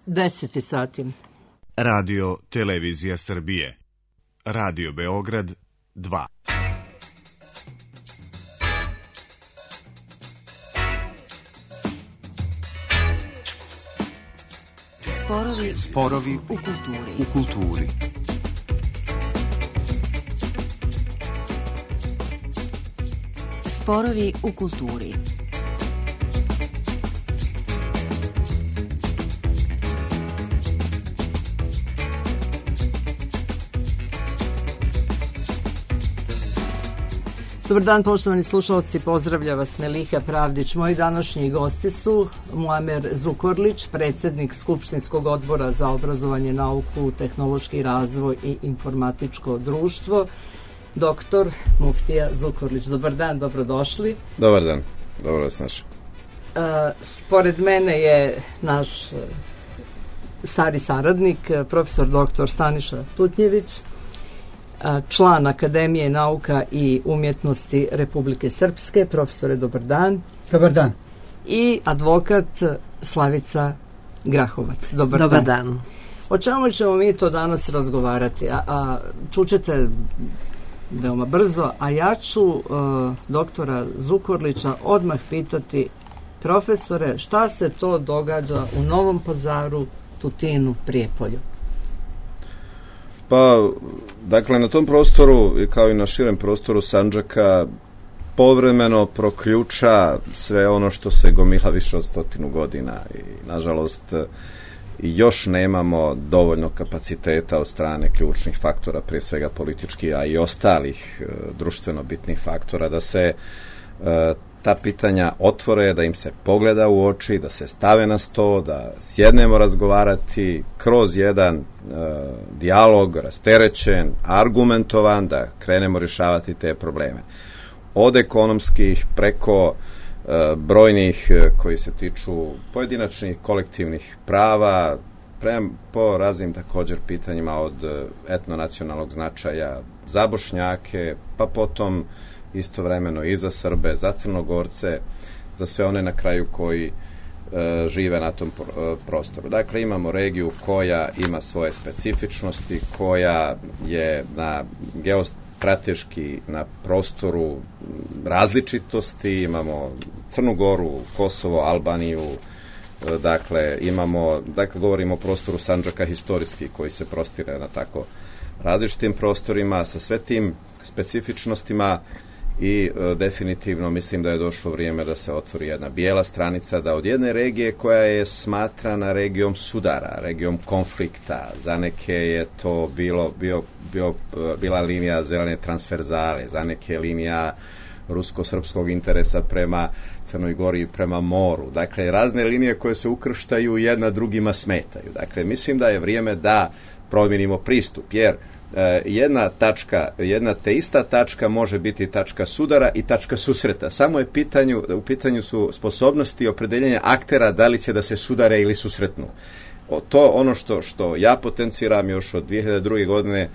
10 sati. Radio Televizija Srbije. Radio Beograd 2. Sporovi u kulturi. Sporovi u kulturi. Dobar dan, poštovani slušalci, pozdravlja vas Meliha Pravdić. Moji današnji gosti su Muamer Zukorlić, predsjednik Skupštinskog odbora za obrazovanje, nauku, tehnološki razvoj i informatičko društvo, doktor Muftija Zukorlić. Dobar dan, dobrodošli. Dobar dan, dobro vas našao. Pored mene je naš stari saradnik, profesor doktor Staniša Tutnjević, član Akademije nauka i umjetnosti Republike Srpske. Profesore, dobar dan. Dobar dan. I advokat Slavica Grahovac. Dobar dan. O čemu ćemo mi to danas razgovarati? Čućete veoma brzo, a ja ću doktora Zukorlića odmah pitati: profesore, šta se to događa u Novom Pazaru, Tutinu, Prijepolju? Pa, dakle, na tom prostoru, kao i na širem prostoru Sandžaka, povremeno proključa sve ono što se gomila više od 100 godina i, nažalost, još nemamo dovoljno kapaciteta od strane ključnih faktora, prije svega političkih, a i ostalih društveno bitnih faktora, da se ta pitanja otvore, da im se pogleda u oči, da se stave na sto, da sjednemo razgovarati kroz jedan dijalog, rasterećen, argumentovan, da krenemo rješavati te probleme. Od ekonomskih preko brojnih koji se tiču pojedinačnih kolektivnih prava, po raznim također pitanjima od etnonacionalnog značaja za Bošnjake, pa potom istovremeno i za Srbe, za Crnogorce, za sve one na kraju koji žive na tom prostoru. Dakle, imamo regiju koja ima svoje specifičnosti, koja je na geostrateški na prostoru različitosti. Imamo Crnu Goru, Kosovo, Albaniju, dakle govorimo o prostoru Sandžaka historijski koji se prostire na tako različitim prostorima sa sve tim specifičnostima. I definitivno mislim da je došlo vrijeme da se otvori jedna bijela stranica, da od jedne regije koja je smatrana regijom sudara, regijom konflikta, za neke je to bila linija zelene transverzale, za neke linija rusko-srpskog interesa prema Crnoj Gori i prema moru. Dakle, razne linije koje se ukrštaju i jedna drugima smetaju. Dakle, mislim da je vrijeme da promijenimo pristup, jer jedna te ista tačka može biti tačka sudara i tačka susreta. Samo je u pitanju su sposobnosti opredeljenja aktera da li će da se sudare ili susretnu. To ono što ja potenciram još od 2002. godine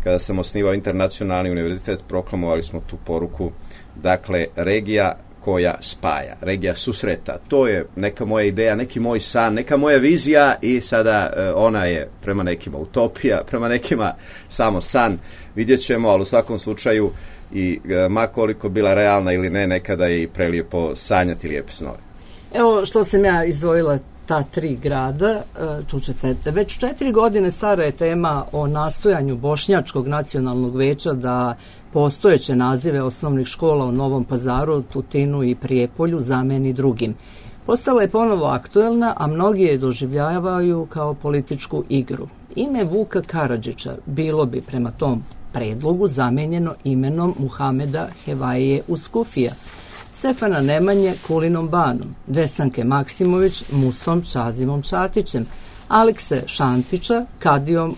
kada sam osnivao Internacionalni univerzitet, proklamovali smo tu poruku, dakle, regija koja spaja, regija susreta. To je neka moja ideja, neki moj san, neka moja vizija i sada ona je prema nekima utopija, prema nekima samo san. Vidjet ćemo, ali u svakom slučaju i ma koliko bila realna ili ne, nekada je i prelijepo sanjati lijepe snove. Evo što sam ja izdvojila ta 3 grada, čućete, već 4 godine stara je tema o nastojanju Bošnjačkog nacionalnog veća da postojeće nazive osnovnih škola u Novom Pazaru, Tutinu i Prijepolju zameni drugim. Postala je ponovo aktuelna, a mnogi je doživljavaju kao političku igru. Ime Vuka Karadžića bilo bi prema tom predlogu zamenjeno imenom Muhameda Hevaije Uskufija, Stefana Nemanje Kulinom Banom, Vesanke Maksimović Musom Čazimom Čatićem, Alekse Šantića Kadijom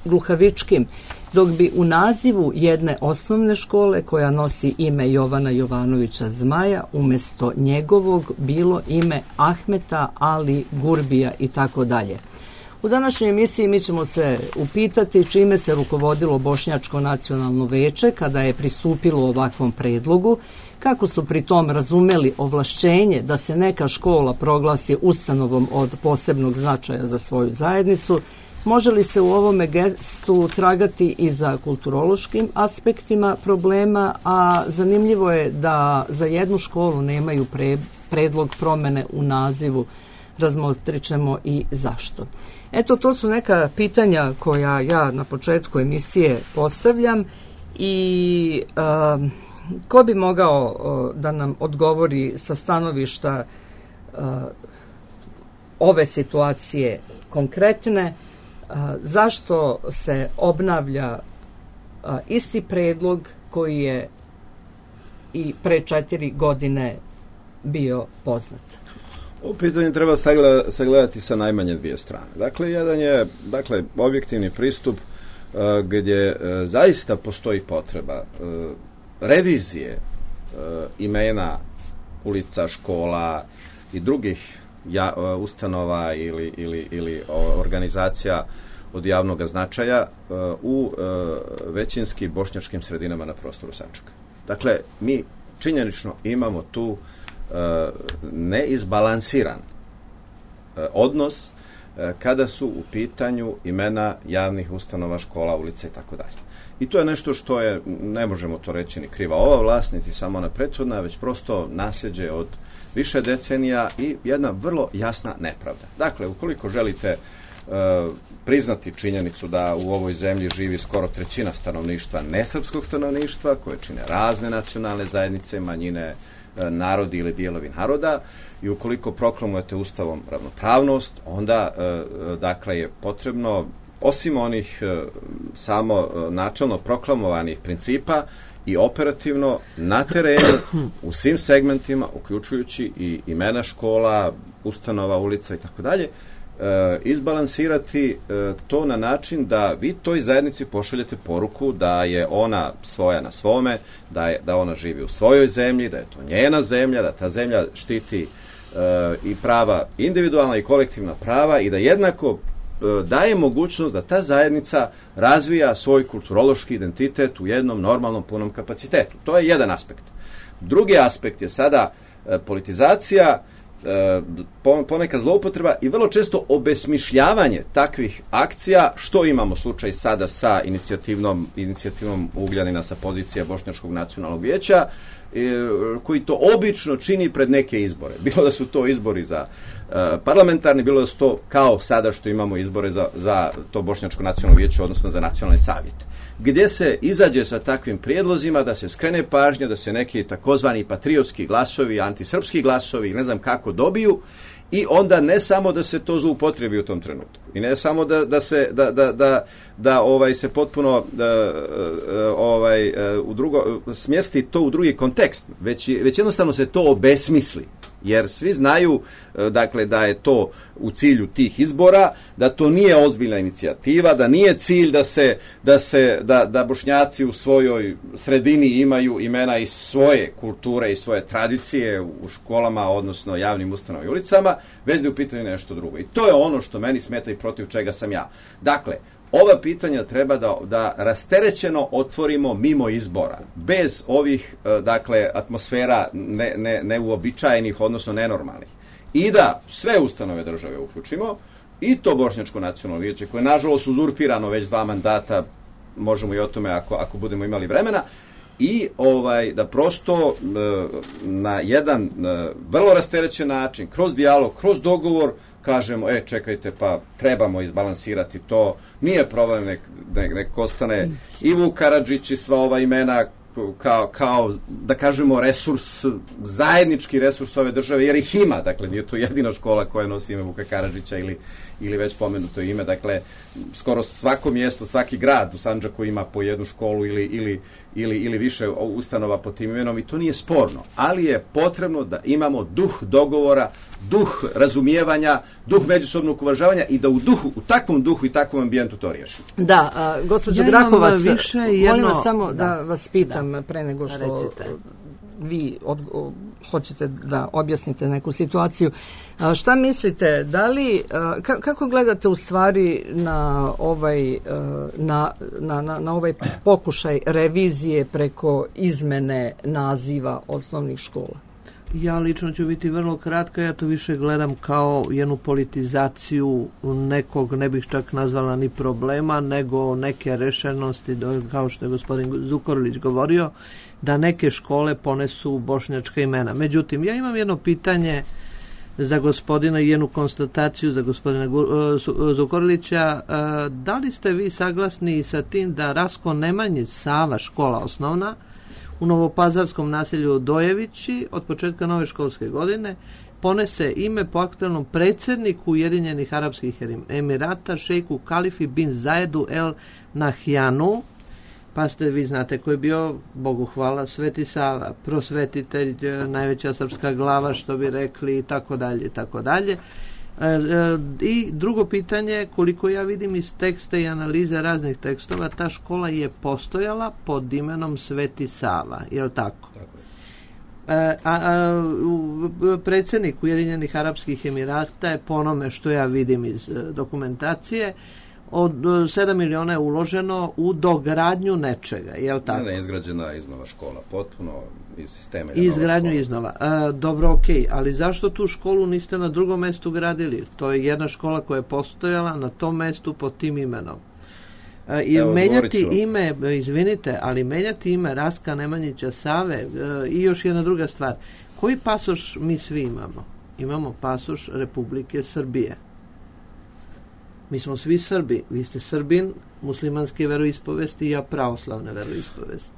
Gluhavičkim, dok bi u nazivu jedne osnovne škole koja nosi ime Jovana Jovanovića Zmaja umjesto njegovog bilo ime Ahmeta Ali Gurbija i tako dalje. U današnjoj emisiji mi ćemo se upitati čime se rukovodilo Bošnjačko nacionalno veće kada je pristupilo ovakvom predlogu, kako su pri tom razumeli ovlašćenje da se neka škola proglasi ustanovom od posebnog značaja za svoju zajednicu, može li se u ovome gestu tragati i za kulturološkim aspektima problema, a zanimljivo je da za jednu školu nemaju predlog promene u nazivu, razmotrit ćemo i zašto. Eto, to su neka pitanja koja ja na početku emisije postavljam i ko bi mogao da nam odgovori sa stanovišta ove situacije konkretne, zašto se obnavlja isti predlog koji je i pre 4 godine bio poznat? Ovo pitanje treba sagledati sa najmanje dvije strane. Dakle, jedan je objektivni pristup gdje zaista postoji potreba revizije imena ulica, škola i drugih ustanova ili organizacija od javnog značaja u većinski bošnjačkim sredinama na prostoru Sandžaka. Dakle, mi činjenično imamo tu neizbalansiran odnos kada su u pitanju imena javnih ustanova, škola, ulica i tako dalje. I to je nešto što je, ne možemo to reći ni kriva ova vlast, niti samo ona prethodna, već prosto nasljeđe od više decenija i jedna vrlo jasna nepravda. Dakle, ukoliko želite priznati činjenicu da u ovoj zemlji živi skoro 1/3 stanovništva nesrpskog stanovništva, koje čine razne nacionalne zajednice, manjine, narodi ili dijelovi naroda, i ukoliko proklamujete Ustavom ravnopravnost, onda dakle je potrebno, osim onih samo načelno proklamovanih principa, i operativno na terenu u svim segmentima, uključujući i imena škola, ustanova, ulica i tako dalje, izbalansirati to na način da vi toj zajednici pošaljete poruku da je ona svoja na svome, da ona živi u svojoj zemlji, da je to njena zemlja, da ta zemlja štiti i prava, individualna i kolektivna prava, i da jednako daje mogućnost da ta zajednica razvija svoj kulturološki identitet u jednom normalnom punom kapacitetu. To je jedan aspekt. Drugi aspekt je sada politizacija, ponekad zloupotreba i vrlo često obesmišljavanje takvih akcija, što imamo slučaj sada sa inicijativom Ugljanina sa pozicije Bošnjačkog nacionalnog vijeća, koji to obično čini pred neke izbore. Bilo da su to izbori za parlamentarni, bilo da su to kao sada što imamo izbore za to Bošnjačko nacionalno vijeće, odnosno za nacionalne savjete, gdje se izađe sa takvim prijedlozima da se skrene pažnja, da se neki takozvani patriotski glasovi, antisrpski glasovi, ne znam kako, dobiju, i onda ne samo da se to zloupotrebi u tom trenutku, i ne samo da se potpuno smjesti to u drugi kontekst, već jednostavno se to obesmisli. Jer svi znaju, dakle, da je to u cilju tih izbora, da to nije ozbiljna inicijativa, da nije cilj da Bošnjaci u svojoj sredini imaju imena iz svoje kulture i svoje tradicije u školama, odnosno javnim ustanovama i ulicama, već da je u pitanju nešto drugo. I to je ono što meni smeta i protiv čega sam ja. Dakle, ova pitanja treba da rasterećeno otvorimo mimo izbora, bez ovih, dakle, atmosfera neuobičajenih, odnosno nenormalnih. I da sve ustanove države uključimo, i to Bošnjačko nacionalno vijeće, koje je nažalost uzurpirano već 2 mandata, možemo i o tome ako budemo imali vremena, i da prosto na jedan vrlo rasterećen način, kroz dijalog, kroz dogovor, kažemo, čekajte, pa trebamo izbalansirati to, nije problem nek ostane i Vuk Karadžić i sva ova imena kao, da kažemo, resurs, zajednički resurs ove države, jer ih ima, dakle, nije to jedina škola koja nosi ime Vuka Karadžića ili već spomenuto ime, dakle, skoro svako mjesto, svaki grad u Sandžaku ima po jednu školu ili više ustanova pod tim imenom, i to nije sporno, ali je potrebno da imamo duh dogovora, duh razumijevanja, duh međusobnog uvažavanja, i da u takvom duhu i takvom ambijentu to riješimo. Da, gospođo Grahovac, molim vas samo da vas pitam pre nego što vi hoćete da objasnite neku situaciju. Šta mislite, da li, kako gledate u stvari na ovaj pokušaj revizije preko izmene naziva osnovnih škola? Ja lično ću biti vrlo kratka, ja to više gledam kao jednu politizaciju nekog, ne bih čak nazvala ni problema, nego neke rešenosti, kao što je gospodin Zukorlić govorio, da neke škole ponesu bošnjačka imena. Međutim, ja imam jedno pitanje za gospodina i jednu konstataciju za gospodina Zukorlića. Da li ste vi saglasni sa tim da Rasko Nemanjić Sava, škola osnovna, u novopazarskom naselju Dojevići od početka nove školske godine ponese ime po aktualnom predsjedniku Ujedinjenih Arapskih Emirata, šejku Kalifi bin Zaedu El Nahyanu, pa ste, vi znate ko je bio, Bogu hvala, Sveti Sava, prosvetitelj, najveća srpska glava, što bi rekli, i tako dalje, i tako dalje. I drugo pitanje, koliko ja vidim iz teksta i analize raznih tekstova, ta škola je postojala pod imenom Sveti Sava, je li tako? Tako je. Predsjednik Ujedinjenih Arapskih Emirata je, po onome što ja vidim iz dokumentacije, od 7 miliona je uloženo u dogradnju nečega, je li tako? Ne, izgrađena iznova škola, potpuno iz sistema. Izgradnju iznova. Dobro, okej, ali zašto tu školu niste na drugom mestu gradili? To je jedna škola koja je postojala na tom mestu pod tim imenom. I menjati ime, izvinite, ali menjati ime Raska Nemanjića Save i još jedna druga stvar. Koji pasoš mi svi imamo? Imamo pasoš Republike Srbije. Mi smo svi Srbi. Vi ste Srbin, muslimanske veroispovesti i ja pravoslavne veroispovesti.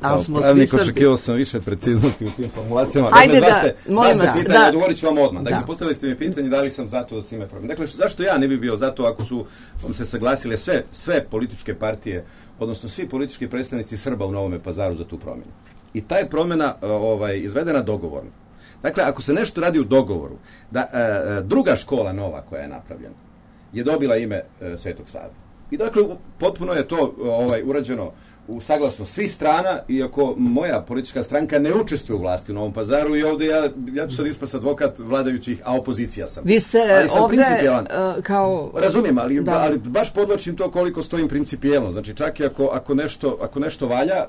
Kao pravnik očekivao sam više preciznosti u tim formulacijama. Ajde molim vas. Odgovorit ću vam odmah. Dakle, postavili ste mi pitanje da li sam zato da se ime promijeni. Dakle, zašto ja ne bi bio zato ako su se saglasile sve političke partije, odnosno svi politički predstavnici Srba u Novome Pazaru za tu promjenu. I ta je promjena izvedena dogovorno. Dakle, ako se nešto radi u dogovoru, da druga škola nova koja je napravljena je dobila ime Svetog Save. I dakle, potpuno je to urađeno u saglasno svih strana, iako moja politička stranka ne učestvuje u vlasti u Novom Pazaru i ovdje ja ću sad ispast advokat vladajućih, a opozicija sam. Vi ste ovdje kao... Razumijem, ali baš podlačim to koliko stojim principijelno. Znači, čak i ako nešto valja,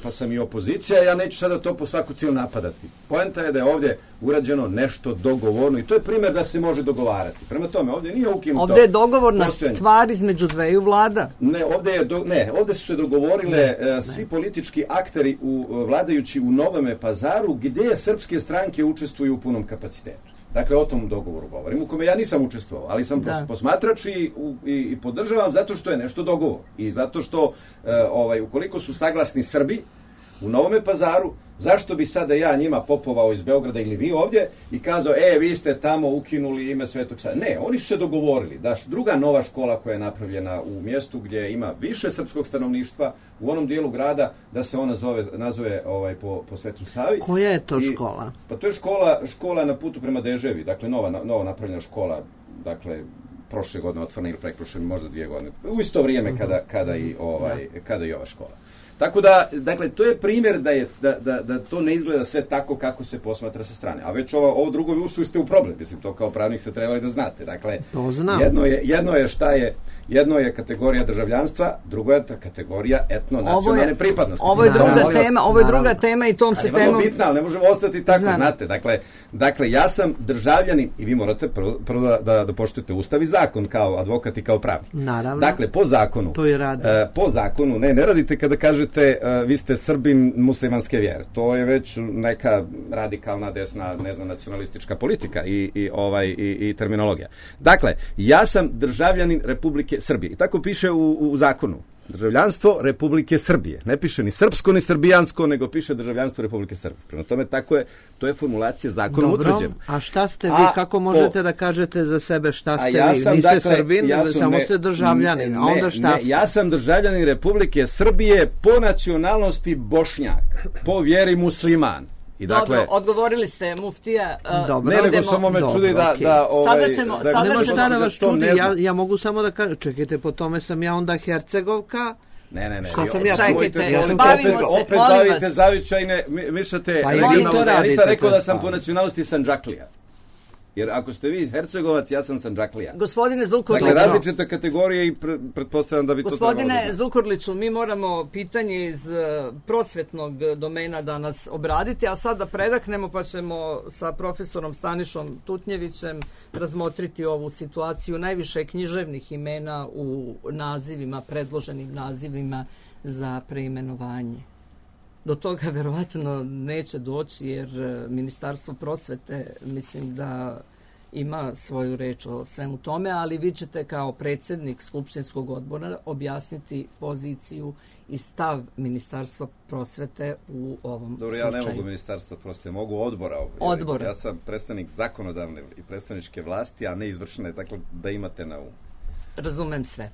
pa sam i opozicija, ja neću sada to po svaku cijelu napadati. Poenta je da je ovdje urađeno nešto dogovorno i to je primjer da se može dogovarati. Prema tome, ovdje nije ukinuto... Ovdje je dogovorna stvar između dveju vlada. Ovdje su se dogovorile svi politički akteri vladajući u Novome Pazaru gdje srpske stranke učestvuju u punom kapacitetu. Dakle, o tom dogovoru govorim, u kome ja nisam učestvovao, ali sam posmatrač i podržavam zato što je nešto dogovor. I zato što, ukoliko su saglasni Srbi u Novome Pazaru, zašto bi sada ja njima popovao iz Beograda ili vi ovdje i kazao, vi ste tamo ukinuli ime Svetog Save. Ne, oni su se dogovorili da druga nova škola koja je napravljena u mjestu gdje ima više srpskog stanovništva, u onom dijelu grada, da se ona nazove po Svetu Savi. Koja je to škola? Pa to je škola na putu prema Deževi, dakle nova napravljena škola, dakle prošle godine otvorena ili preprošle, možda 2 godine. U isto vrijeme kada i ova škola. Tako da, dakle, to je primjer da to ne izgleda sve tako kako se posmatra sa strane. A već ovo drugo ušli ste u problem. Mislim, to kao pravnik ste trebali da znate. Dakle, jedno je kategorija državljanstva, drugo je kategorija etno-nacionalne pripadnosti. Ovo je druga tema i tom se temom... bitna, ali ne možemo ostati tako, znate. Dakle, ja sam državljanin i vi morate prvo da poštujete Ustav i zakon kao advokat i kao pravnik. Naravno. Dakle, po zakonu... To je radi. Po zakonu, ne radite kada kažete vi ste Srbin muslimanske vjere. To je već neka radikalna desna, ne znam, nacionalistička politika i terminologija. Dakle, ja sam državljanin Republike Srbije. I tako piše u zakonu. Državljanstvo Republike Srbije. Ne piše ni srpsko ni srbijansko, nego piše državljanstvo Republike Srbije. Prema tome, to je formulacija zakonom utvrđena. A šta ste vi, kako možete da kažete za sebe šta ste vi? Niste Srbin, samo ste državljanin. A onda šta ste? Ja sam državljanin Republike Srbije po nacionalnosti Bošnjak, po vjeri musliman. I dakle, dobro, odgovorili ste, muftija. Ne, nego samo me čudi da sada ćemo nema šta da vas čudi, ja mogu samo da kažem, čekajte, po tome sam ja onda Hercegovka, Ne. Šta sam ja? Čekajte, Ja sam opet bavite zavičajne, mišate Pa regionalne. Ja nisam rekao da sam pa. po nacionalnosti Sandžaklija. Jer ako ste vi Hercegovac, ja sam Sandžaklija. Gospodine Zukorliću. Dakle, različite kategorije i pretpostavljam da bi to trebalo da Gospodine znam. Zukorliću, mi moramo pitanje iz prosvetnog domena danas obraditi, a sad da predahnemo pa ćemo sa profesorom Stanišom Tutnjevićem razmotriti ovu situaciju. Najviše književnih imena u nazivima, predloženim nazivima za preimenovanje. Do toga verovatno neće doći jer Ministarstvo prosvete mislim da ima svoju reč o svemu tome, ali vi ćete kao predsjednik Skupštinskog odbora objasniti poziciju i stav Ministarstva prosvete u ovom Dobro, slučaju. ja ne mogu Ministarstva prosvete, mogu odbora. Odbora. Ja sam predstavnik zakonodavne i predstavničke vlasti, a ne izvršne, tako da imate na umu. Razumem sve.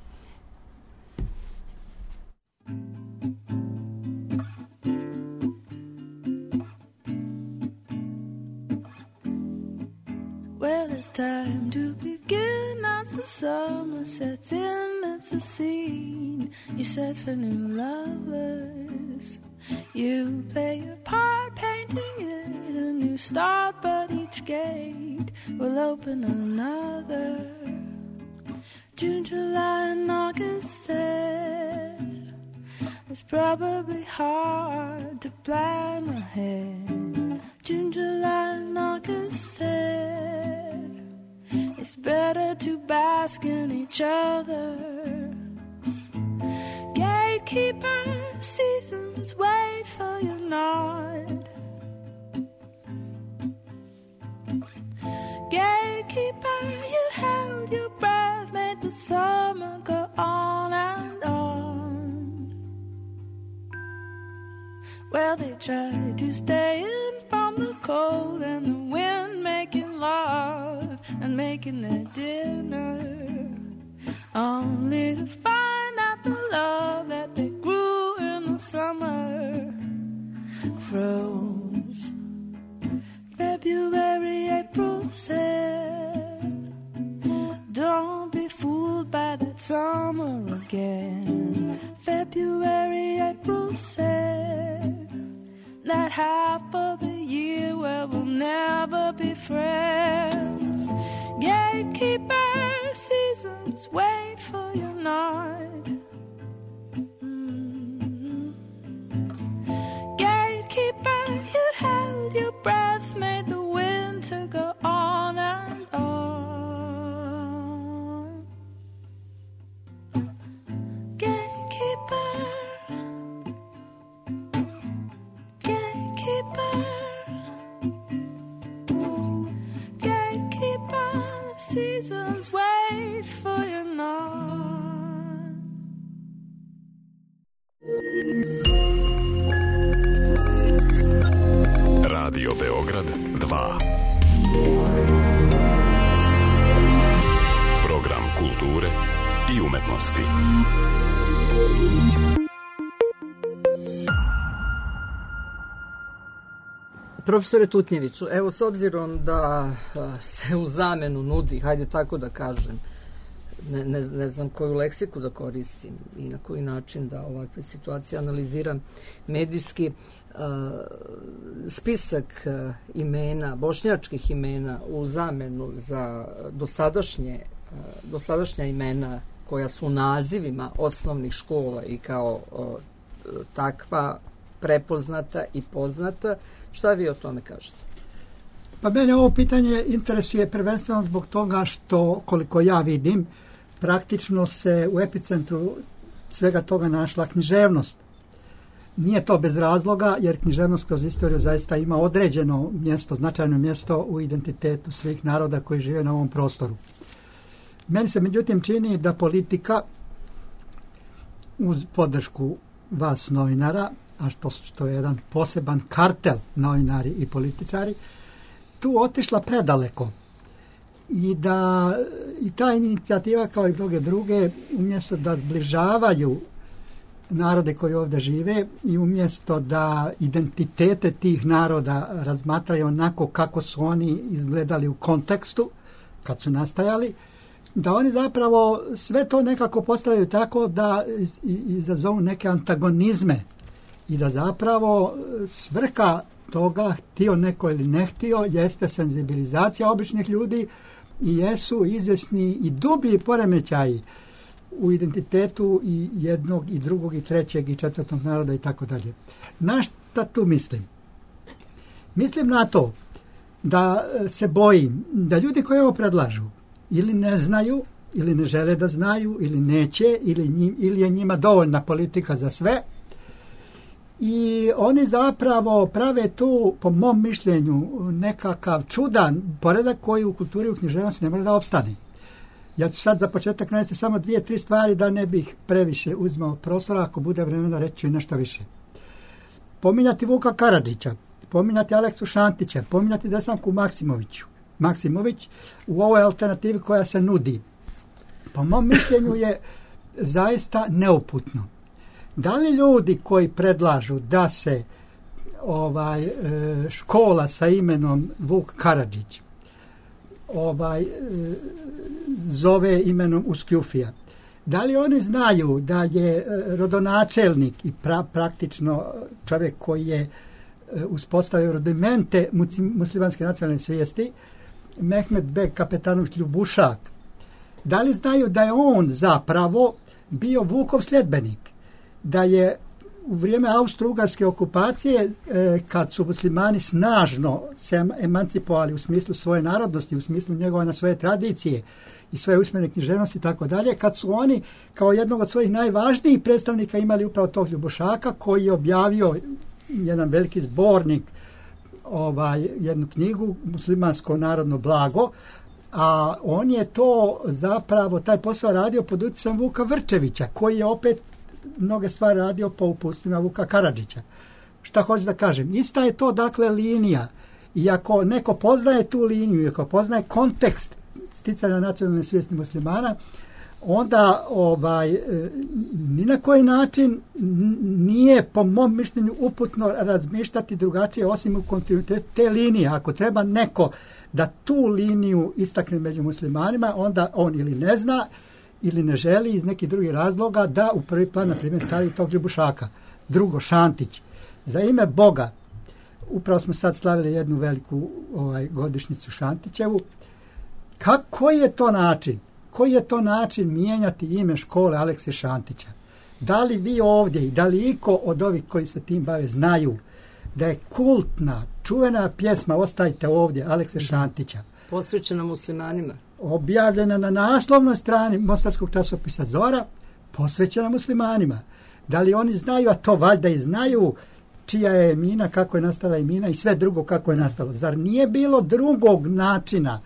Well, it's time to begin as the summer sets in. It's a scene you set for new lovers. You play your part, painting it a new start, but each gate will open another. June, July, and August said it's probably hard to plan ahead. June, July, and August said it's better to bask in each other. Gatekeeper, seasons wait for your nod. Gatekeeper, you held your breath, made the summer go on and on. Well, they tried to stay in from the cold and the wind, making love and making their dinner, only to find out the love that they grew in the summer froze. February, April said, don't be fooled by that summer again. February, April said, that half of the year where we'll never be friends. Gatekeeper, seasons wait for your nod. Gatekeeper, you held your breath, made the winter go on and on. Gatekeeper, gatekeeper, gatekeeper, the seasons wait for your nod. Radio Beograd 2. Program kulture i umetnosti. Profesore Tutnjeviću, evo s obzirom da se u zamenu nudi, hajde tako da kažem, ne znam koju leksiku da koristim i na koji način da ovakve situacije analiziram medijski, spisak imena, bošnjačkih imena u zamenu za dosadašnja imena koja su nazivima osnovnih škola i kao takva prepoznata i poznata. Šta vi o tome kažete? Pa mene ovo pitanje interesuje prvenstveno zbog toga što, koliko ja vidim, praktično se u epicentru svega toga našla književnost. Nije to bez razloga, jer književnost kroz istoriju zaista ima određeno mjesto, značajno mjesto u identitetu svih naroda koji žive na ovom prostoru. Meni se međutim čini da politika uz podršku vas novinara, a što je jedan poseban kartel novinari i političari, tu otišla predaleko. I da i ta inicijativa kao i mnoge druge, umjesto da zbližavaju narode koji ovdje žive i umjesto da identitete tih naroda razmatraju onako kako su oni izgledali u kontekstu kad su nastajali, da oni zapravo sve to nekako postavljaju tako da izazovu neke antagonizme i da zapravo svrha toga, htio neko ili ne htio, jeste senzibilizacija običnih ljudi i jesu izvjesni i dublji poremećaji u identitetu i jednog i drugog i trećeg i četvrtog naroda i tako dalje. Na šta tu mislim? Mislim na to da se bojim da ljudi koji ovo predlažu ili ne znaju, ili ne žele da znaju, ili neće, ili je njima dovoljna politika za sve. I oni zapravo prave tu, po mom mišljenju, nekakav čudan poredak koji u kulturi i u književnosti ne može da opstane. Ja ću sad za početak navesti samo 2-3 stvari da ne bih previše uzmao prostora, ako bude vremena reći ću i nešto više. Pominjati Vuka Karadžića, pominjati Aleksu Šantića, pominjati Desanku Maksimović u ovoj alternativi koja se nudi. Po mom mišljenju je zaista neuputno. Da li ljudi koji predlažu da se škola sa imenom Vuk Karadžić zove imenom Uskjufija, da li oni znaju da je rodonačelnik i praktično čovjek koji je uspostavio rudimente muslimanske nacionalne svijesti Mehmed Beg Kapetanović Ljubušak, da li znaju da je on zapravo bio Vukov sljedbenik, da je u vrijeme austro-ugarske okupacije, kad su muslimani snažno se emancipovali u smislu svoje narodnosti, u smislu njegovanja svoje tradicije i svoje usmene književnosti i tako dalje, kad su oni kao jednog od svojih najvažnijih predstavnika imali upravo tog Ljubušaka koji je objavio jedan veliki zbornik, jednu knjigu Muslimansko narodno blago, a on je to zapravo taj posao radio pod utjecajem Vuka Vrčevića, koji je opet mnoge stvari radio po uputstvima Vuka Karadžića. Šta hoću da kažem? Ista je to dakle linija. I ako neko poznaje tu liniju, i ako poznaje kontekst sticanja nacionalne svijesti muslimana, onda ni na koji način nije po mom mišljenju uputno razmišljati drugačije osim u kontinuitetu te linije. Ako treba neko da tu liniju istakne među muslimanima, onda on ili ne zna ili ne želi iz nekih drugih razloga da u prvi plan, na primjer, stavi tog Ljubušaka. Drugo, Šantić. Za ime Boga, upravo smo sad slavili jednu veliku godišnjicu Šantićevu. Koji je to način? Koji je to način mijenjati ime škole Alekse Šantića? Da li vi ovdje i da li iko od ovih koji se tim bave znaju da je kultna, čuvena pjesma Ostajte ovdje Alekse Šantića posvećena muslimanima, objavljena na naslovnoj strani mostarskog časopisa Zora, posvećena muslimanima? Da li oni znaju, a to valjda i znaju, čija je Emina, kako je nastala Emina i sve drugo kako je nastalo? Zar nije bilo drugog načina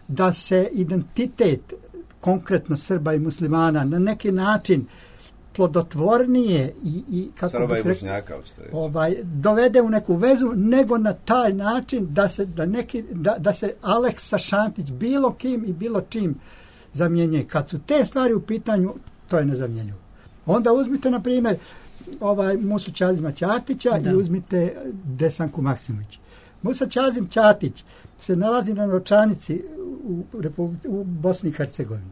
da se identitet konkretno Srba i muslimana na neki način plodotvornije i kako Srba i Bošnjaka dovede u neku vezu, nego na taj način da se Aleksa Šantić bilo kim i bilo čim zamjenjuje. Kad su te stvari u pitanju, to je nezamjenjivo. Onda uzmite, na primjer, Musu Čazima Ćatića i uzmite Desanku Maksimović. Musa Čazim Ćatić se nalazi na novčanici u Bosni i Hercegovini.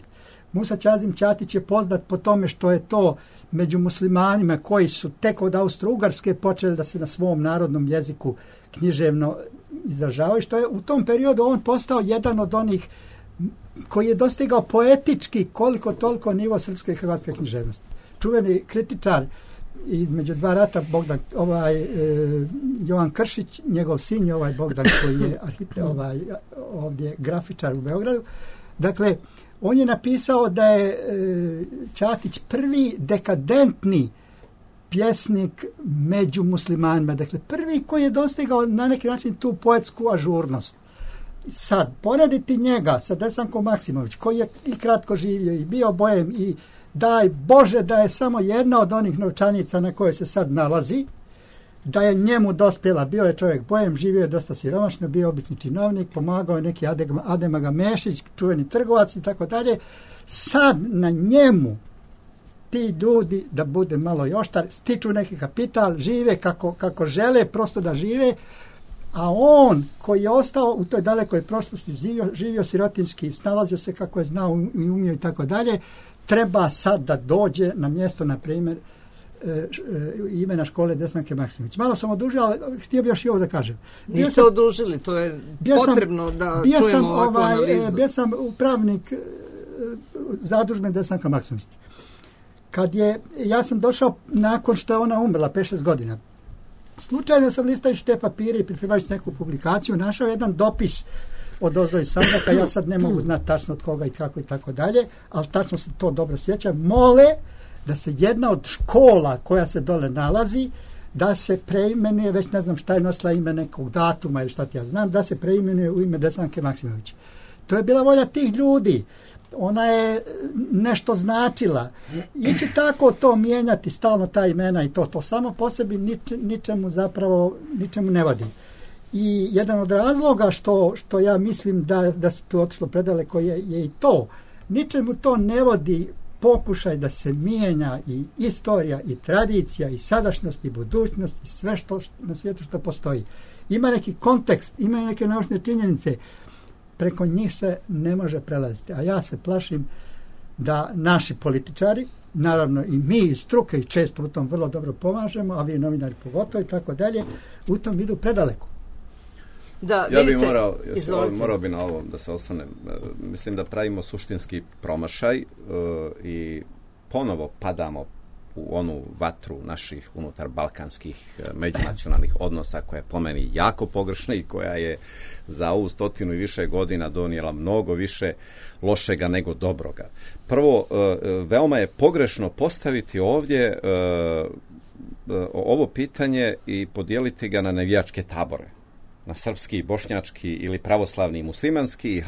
Musa Čazim Ćatić je poznat po tome što je to među muslimanima koji su tek od Austro-Ugarske počeli da se na svom narodnom jeziku književno izražavaju, što je u tom periodu on postao jedan od onih koji je dostigao poetički koliko toliko nivo srpske i hrvatske književnosti. Čuveni kritičar između dva rata Jovan Kršić, njegov sin je Bogdan koji je ovdje grafičar u Beogradu. Dakle, on je napisao da je Ćatić prvi dekadentni pjesnik među muslimanima. Dakle, prvi koji je dostigao na neki način tu poetsku ažurnost. Sad, porediti njega sa Desankom Maksimović, koji je i kratko živio i bio bojem i daj Bože da je samo jedna od onih novčanica na kojoj se sad nalazi, da je njemu dospjela, bio je čovjek bojem, živio je dosta siromašno, bio obični činovnik, pomagao je neki Adem Agamešić, čuveni trgovac i tako dalje. Sad na njemu ti ljudi, da bude malo i oštar, stiču neki kapital, žive kako žele, prosto da žive, a on koji je ostao u toj dalekoj prošlosti, živio sirotinski, snalazio se kako je znao i umio i tako dalje, treba sad da dođe na mjesto, na primjer, imena škole Desanke Maksimović. Malo sam odužio, ali htio bi još i ovo da kažem. Niste odužili, to je potrebno da čujemo ovakvu analizu. Bio sam upravnik zadužbe Desanka Maksimović. Ja sam došao nakon što je ona umrla, 5-6 godina. Slučajno sam listajući te papire i pripremajući neku publikaciju, našao jedan dopis od ozdo iz Sandžaka, ja sad ne mogu znati tačno od koga i kako i tako dalje, ali tačno se to dobro sjećam, mole da se jedna od škola koja se dole nalazi, da se preimenuje, već ne znam šta je nosila ime nekog datuma ili šta ti ja znam, da se preimenuje u ime Desanke Maksimović. To je bila volja tih ljudi. Ona je nešto značila. Ići tako to mijenjati stalno ta imena i to samo po sebi ničemu ne vodi. I jedan od razloga što ja mislim da se tu otišlo predaleko je i to. Ničemu to ne vodi pokušaj da se mijenja i istorija i tradicija i sadašnjost i budućnost i sve što na svijetu što postoji. Ima neki kontekst, ima neke naučne činjenice, preko njih se ne može prelaziti. A ja se plašim da naši političari, naravno i mi iz struke i često u tom vrlo dobro pomažemo, a vi novinari pogotovo i tako dalje, u tom idu predaleko. Da, ja bih morao bi na ovo da se ostanem. Mislim da pravimo suštinski promašaj i ponovo padamo u onu vatru naših unutar balkanskih međunacionalnih odnosa koja je po meni jako pogrešna i koja je za ovu 100 i više godina donijela mnogo više lošega nego dobroga. Prvo, veoma je pogrešno postaviti ovdje ovo pitanje i podijeliti ga na navijačke tabore, na srpski, bošnjački ili pravoslavni i muslimanski i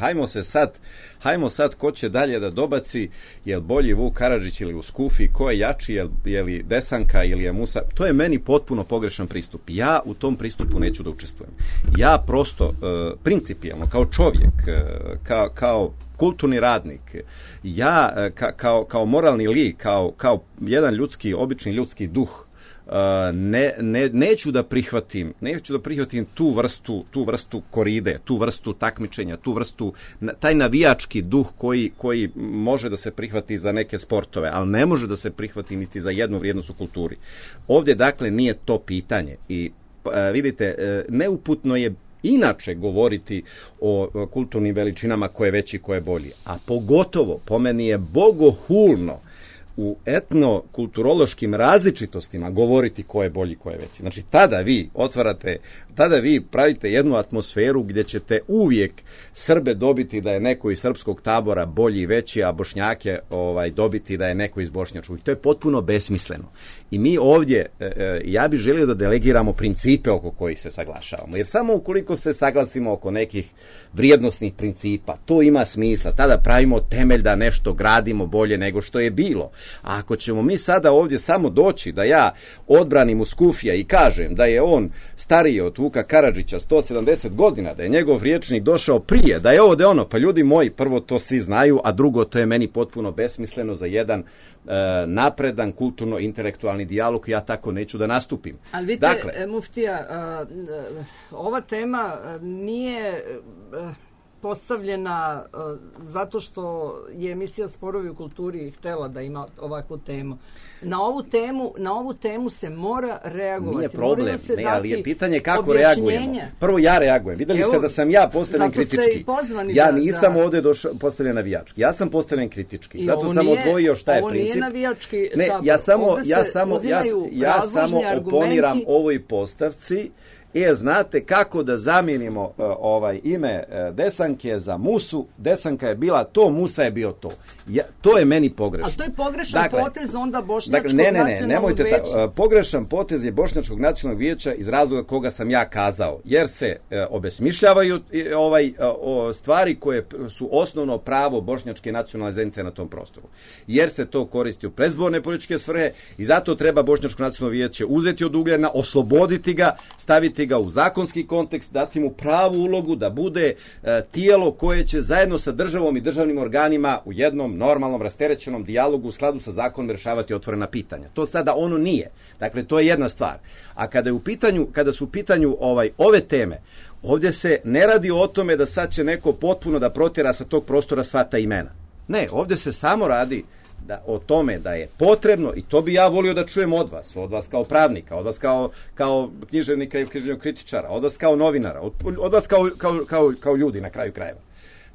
hajmo sad ko će dalje da dobaci, je li bolji Vuk Karadžić ili Uskufi, ko je jači, je li Desanka ili je Musa. To je meni potpuno pogrešan pristup. Ja u tom pristupu neću da učestvujem. Ja prosto, principijalno, kao čovjek, kao kulturni radnik, ja kao moralni lik, kao jedan obični ljudski duh, neću da prihvatim tu vrstu koride, tu vrstu takmičenja, taj navijački duh koji može da se prihvati za neke sportove, ali ne može da se prihvati niti za jednu vrijednost u kulturi. Ovdje dakle nije to pitanje i vidite, neuputno je inače govoriti o kulturnim veličinama ko je veći, ko je bolji, a pogotovo po meni je bogohulno u etnokulturološkim različitostima govoriti ko je bolji, ko je veći. Znači, tada vi pravite jednu atmosferu gdje ćete uvijek Srbe dobiti da je neko iz srpskog tabora bolji i veći, a Bošnjake dobiti da je neko iz bošnjačkog. I to je potpuno besmisleno. I mi ovdje, ja bih želio da delegiramo principe oko kojih se saglašavamo. Jer samo ukoliko se saglasimo oko nekih vrijednosnih principa, to ima smisla. Tada pravimo temelj da nešto gradimo bolje nego što je bilo. A ako ćemo mi sada ovdje samo doći da ja odbranim Uskufija i kažem da je on stariji od Vuka Karadžića 170 godina, da je njegov rječnik došao prije, da je ovo da je ono, pa ljudi moji, prvo to svi znaju, a drugo to je meni potpuno besmisleno za jedan napredan kulturno-intelektualni dijalog, ja tako neću da nastupim. Ali vidite, muftija, ova tema nije postavljena zato što je emisija Sporovi u kulturi htjela da ima ovakvu temu. Na ovu temu se mora reagovati. Nije problem, ali je pitanje kako reagujemo. Prvo ja reagujem. Vidjeli ste da sam ja postavljen kritički. Ja nisam ovdje postavljen navijački. Ja sam postavljen kritički. Zato sam odvojio šta je princip. Ovo nije navijački. Ne, ja samo oponiram ovoj postavci. Znate kako da zamijenimo ime Desanke za Musu, Desanka je bila to, Musa je bio to. To je meni pogrešno. A to je pogrešan potez onda Bošnjačkog nacionalnog vijeća? Pogrešan potez je Bošnjačkog nacionalnog vijeća iz razloga koga sam ja kazao, jer se obesmišljavaju stvari koje su osnovno pravo Bošnjačke nacionalne zajednice na tom prostoru. Jer se to koristi u predizborne političke svrhe i zato treba Bošnjačko nacionalno vijeće uzeti od ugljena, osloboditi ga, staviti staviti ga u zakonski kontekst, dati mu pravu ulogu da bude tijelo koje će zajedno sa državom i državnim organima u jednom normalnom, rasterećenom dijalogu u skladu sa zakonom rješavati otvorena pitanja. To sada ono nije. Dakle, to je jedna stvar. A kada su u pitanju ove teme, ovdje se ne radi o tome da sad će neko potpuno da protjera sa tog prostora sva ta imena. Ne, ovdje se samo radi o tome da je potrebno, i to bi ja volio da čujem od vas kao pravnika, od vas kao književnika i književnog kritičara, od vas kao novinara, od vas kao ljudi na kraju krajeva.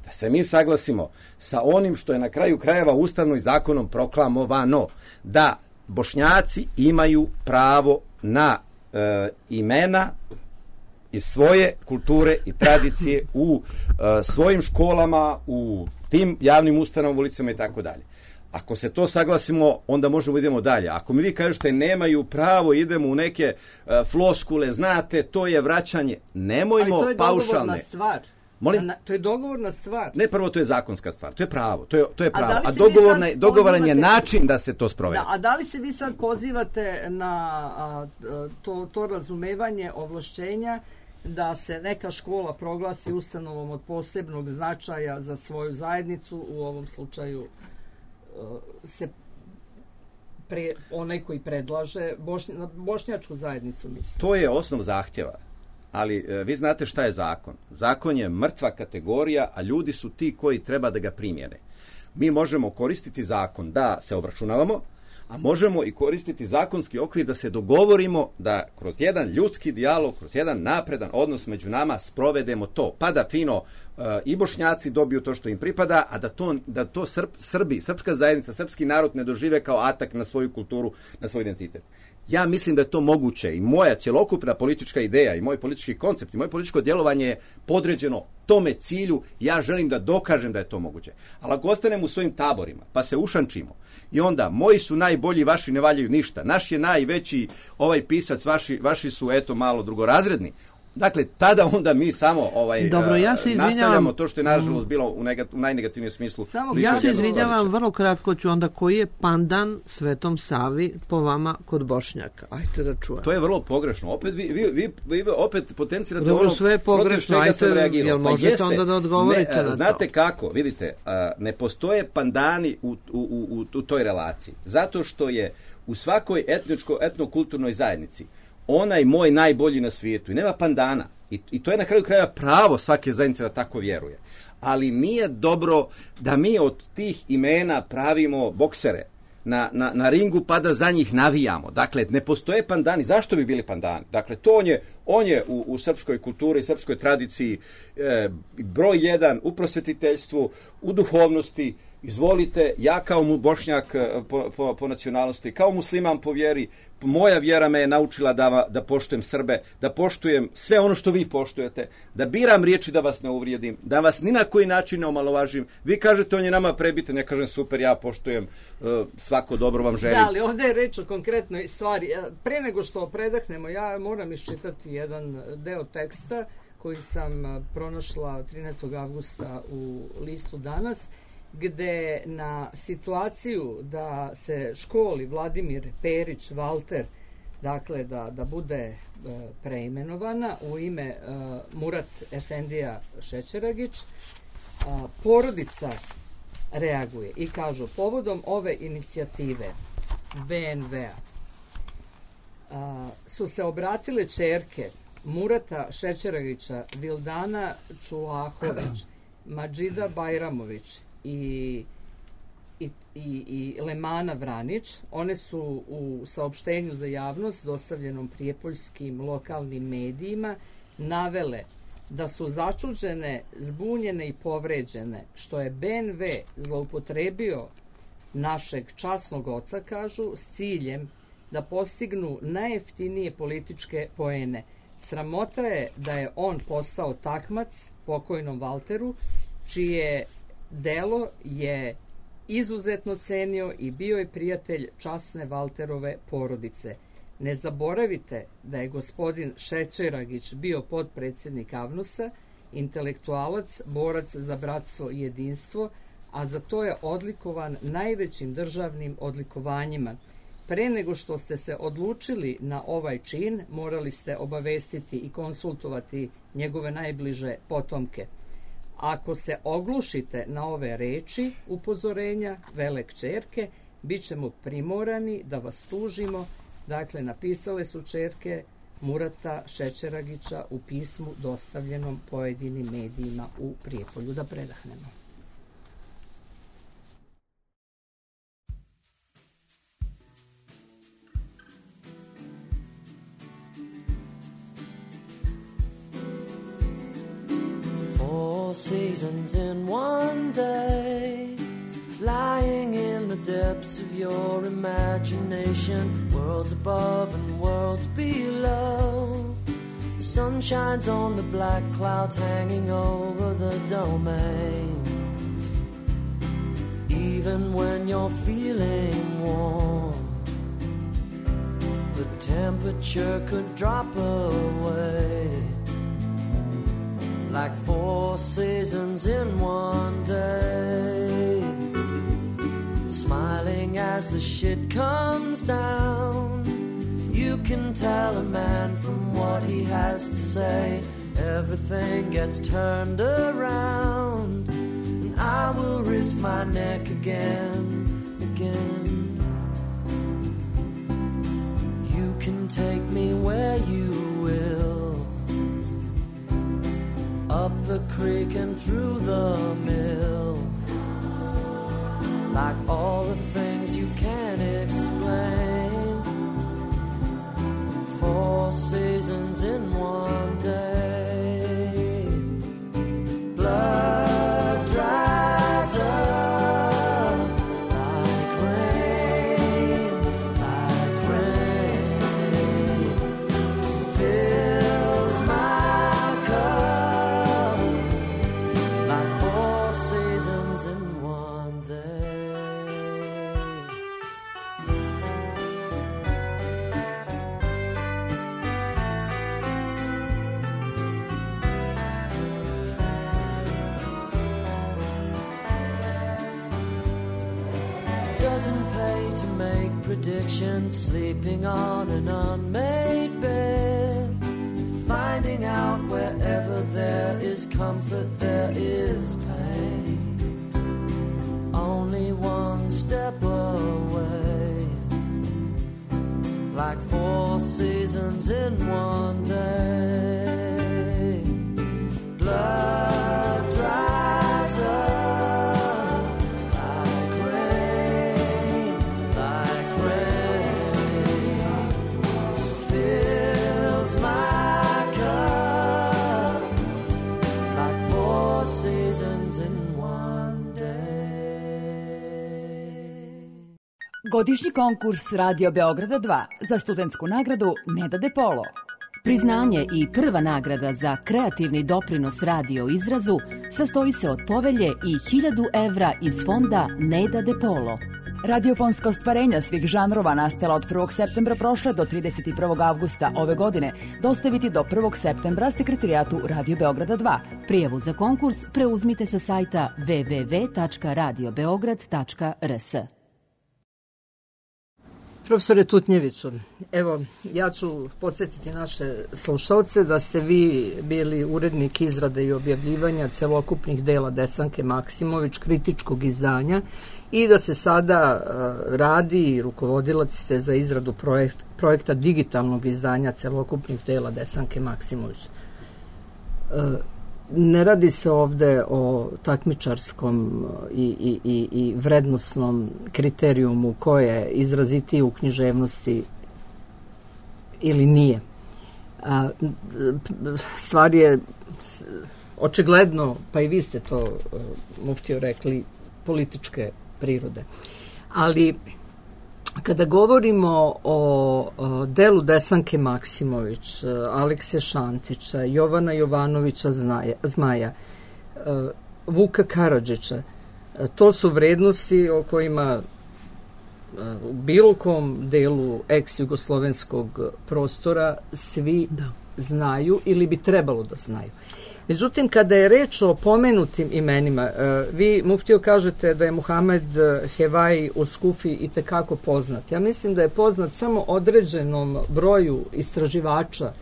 Da se mi saglasimo sa onim što je na kraju krajeva ustavno i zakonom proklamovano, da Bošnjaci imaju pravo na imena iz svoje kulture i tradicije u svojim školama, u tim javnim ustanovama, ulicama i tako dalje. Ako se to saglasimo, onda možemo idemo dalje. Ako mi vi kažete nemaju pravo, idemo u neke floskule, znate, to je vraćanje. Nemojmo paušalne. Ali to je dogovorna stvar. Molim? To je dogovorna stvar. Ne, prvo to je zakonska stvar. To je pravo. To je pravo. A dogovoran je način da se to sprovede. Da, a da li se vi sad pozivate na to razumevanje ovlašćenja da se neka škola proglasi ustanovom od posebnog značaja za svoju zajednicu, u ovom slučaju onaj koji predlaže bošnjačku zajednicu, mislim. To je osnov zahtjeva, ali vi znate šta je zakon. Zakon je mrtva kategorija, a ljudi su ti koji treba da ga primjene. Mi možemo koristiti zakon da se obračunavamo, a možemo i koristiti zakonski okvir da se dogovorimo da kroz jedan ljudski dijalog, kroz jedan napredan odnos među nama sprovedemo to, pa da fino i Bošnjaci dobiju to što im pripada, a da to Srbi, srpska zajednica, srpski narod ne dožive kao atak na svoju kulturu, na svoj identitet. Ja mislim da je to moguće i moja cjelokupna politička ideja i moj politički koncept i moje političko djelovanje je podređeno tome cilju. Ja želim da dokažem da je to moguće. Ali ako ostanemo u svojim taborima pa se ušančimo i onda moji su najbolji, vaši ne valjaju ništa, naš je najveći pisac, vaši su eto malo drugorazredni. Dakle, tada onda mi samo nastavljamo to što je nažalost bilo u najnegativnijem smislu. Ja se izvinjavam, vrlo kratko ću onda, koji je pandan Svetom Savi po vama kod Bošnjaka? Ajte da čujem. To je vrlo pogrešno. Opet vi opet potencirate ono protiv čega sam reagirao. Jel možete onda da odgovorite na to? Znate kako, vidite, ne postoje pandani u toj relaciji. Zato što je u svakoj etnokulturnoj zajednici onaj moj najbolji na svijetu i nema pandana. I to je na kraju krajeva pravo svake zajednice da tako vjeruje. Ali nije dobro da mi od tih imena pravimo boksere na ringu pa da za njih navijamo. Dakle, ne postoje pandani. Zašto bi bili pandani? Dakle, on je u srpskoj kulturi, srpskoj tradiciji broj jedan u prosvjetiteljstvu, u duhovnosti. Izvolite, ja kao Bošnjak po nacionalnosti, kao musliman po vjeri, moja vjera me je naučila da poštujem Srbe, da poštujem sve ono što vi poštujete, da biram riječi da vas ne uvrijedim, da vas ni na koji način ne omalovažim. Vi kažete on je nama prebitan, ja kažem super, ja poštujem, svako dobro vam želim. Da, ali ovdje je reč o konkretnoj stvari. Pre nego što predahnemo, ja moram iščitati jedan deo teksta koji sam pronašla 13. avgusta u listu Danas, gde na situaciju da se školi Vladimir Perić Valter, dakle da bude preimenovana u ime Murat Efendija Šećeragić, porodica reaguje i kažu povodom ove inicijative BNV-a su se obratile ćerke Murata Šećeragića, Vildana Čulahović, Madžida Bajramović i Lemana Vranić. One su u saopštenju za javnost dostavljenom prijepoljskim lokalnim medijima navele da su začuđene, zbunjene i povređene što je BNV zloupotrebio našeg časnog oca, kažu, s ciljem da postignu najjeftinije političke poene. Sramota je da je on postao takmac pokojnom Valteru, čije delo je izuzetno cenio i bio je prijatelj časne Valterove porodice. Ne zaboravite da je gospodin Šećeragić bio potpredsjednik AVNOS-a, intelektualac, borac za bratstvo i jedinstvo, a za to je odlikovan najvećim državnim odlikovanjima. Pre nego što ste se odlučili na ovaj čin, morali ste obavestiti i konsultovati njegove najbliže potomke. Ako se oglušite na ove reči upozorenja vele kćerke, bit ćemo primorani da vas tužimo. Dakle, napisale su kćerke Murata Šećeragića u pismu dostavljenom pojedinim medijima u Prijepolju. Da predahnemo. Four seasons in one day, lying in the depths of your imagination, worlds above and worlds below. The sun shines on the black clouds hanging over the domain. Even when you're feeling warm, the temperature could drop away. Like four seasons in one day, smiling as the shit comes down. You can tell a man from what he has to say. Everything gets turned around, and I will risk my neck again. You can take me where you will, up the creek and through the mill, like all the things you can't explain. Four seasons in one day, blood dries up like rain, fills my cup like four seasons in one day. Doesn't pay to make predictions, sleeping on an unmade bed, finding out wherever there is comfort there is pain. Only one step away, like four seasons in one day. Blood dries up like rain, fills my cup like four seasons in one day. Godišnji konkurs Radio Beograda 2 za studentsku nagradu Neda De Polo. Priznanje i prva nagrada za kreativni doprinos radio izrazu sastoji se od povelje i 1000 evra iz fonda Neda De Polo. Radiofonska ostvarenja svih žanrova nastala od 1. septembra prošle do 31. avgusta ove godine dostaviti do 1. septembra Sekretarijatu Radio Beograda 2. Prijavu za konkurs preuzmite sa sajta www.radiobeograd.rs. Profesore Tutnjeviću, evo, ja ću podsjetiti naše slušalce da ste vi bili urednik izrade i objavljivanja celokupnih dela Desanke Maksimović, kritičkog izdanja, i da se sada radi i rukovodilac ste za izradu projekta digitalnog izdanja celokupnih dela Desanke Maksimović. Ne radi se ovde o takmičarskom i vrednosnom kriterijumu ko je izrazitiji u književnosti ili nije. Stvar je očigledno, pa i vi ste to, muftio, rekli, političke prirode. Ali kada govorimo o delu Desanke Maksimović, Alekse Šantića, Jovana Jovanovića Zmaja, Vuka Karadžića, to su vrednosti o kojima u bilo kom delu ex-jugoslovenskog prostora svi znaju ili bi trebalo da znaju. Međutim, kada je reč o pomenutim imenima, vi, muftio, kažete da je Muhamed Hevaj u Skufi itekako poznat. Ja mislim da je poznat samo određenom broju istraživača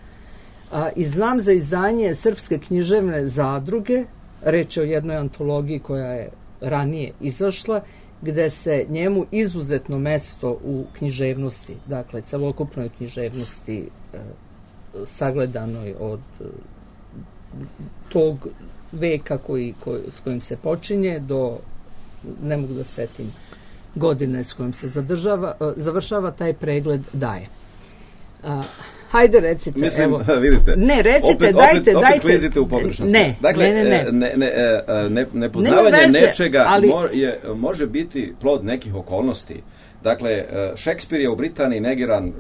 i znam za izdanje Srpske književne zadruge, reč je o jednoj antologiji koja je ranije izašla, gde se njemu izuzetno mesto u književnosti, dakle celokupnoj književnosti sagledanoj od tog veka s kojim se počinje do, ne mogu da setim godine s kojim se završava, taj pregled daje. Hajde, recite. Mislim, evo. Vidite. Ne, recite, dajte. Opet klizite u pogrešnost. Ne, dakle, nepoznavanje nečega može biti plod nekih okolnosti. Dakle, Šekspir je u Britaniji negiran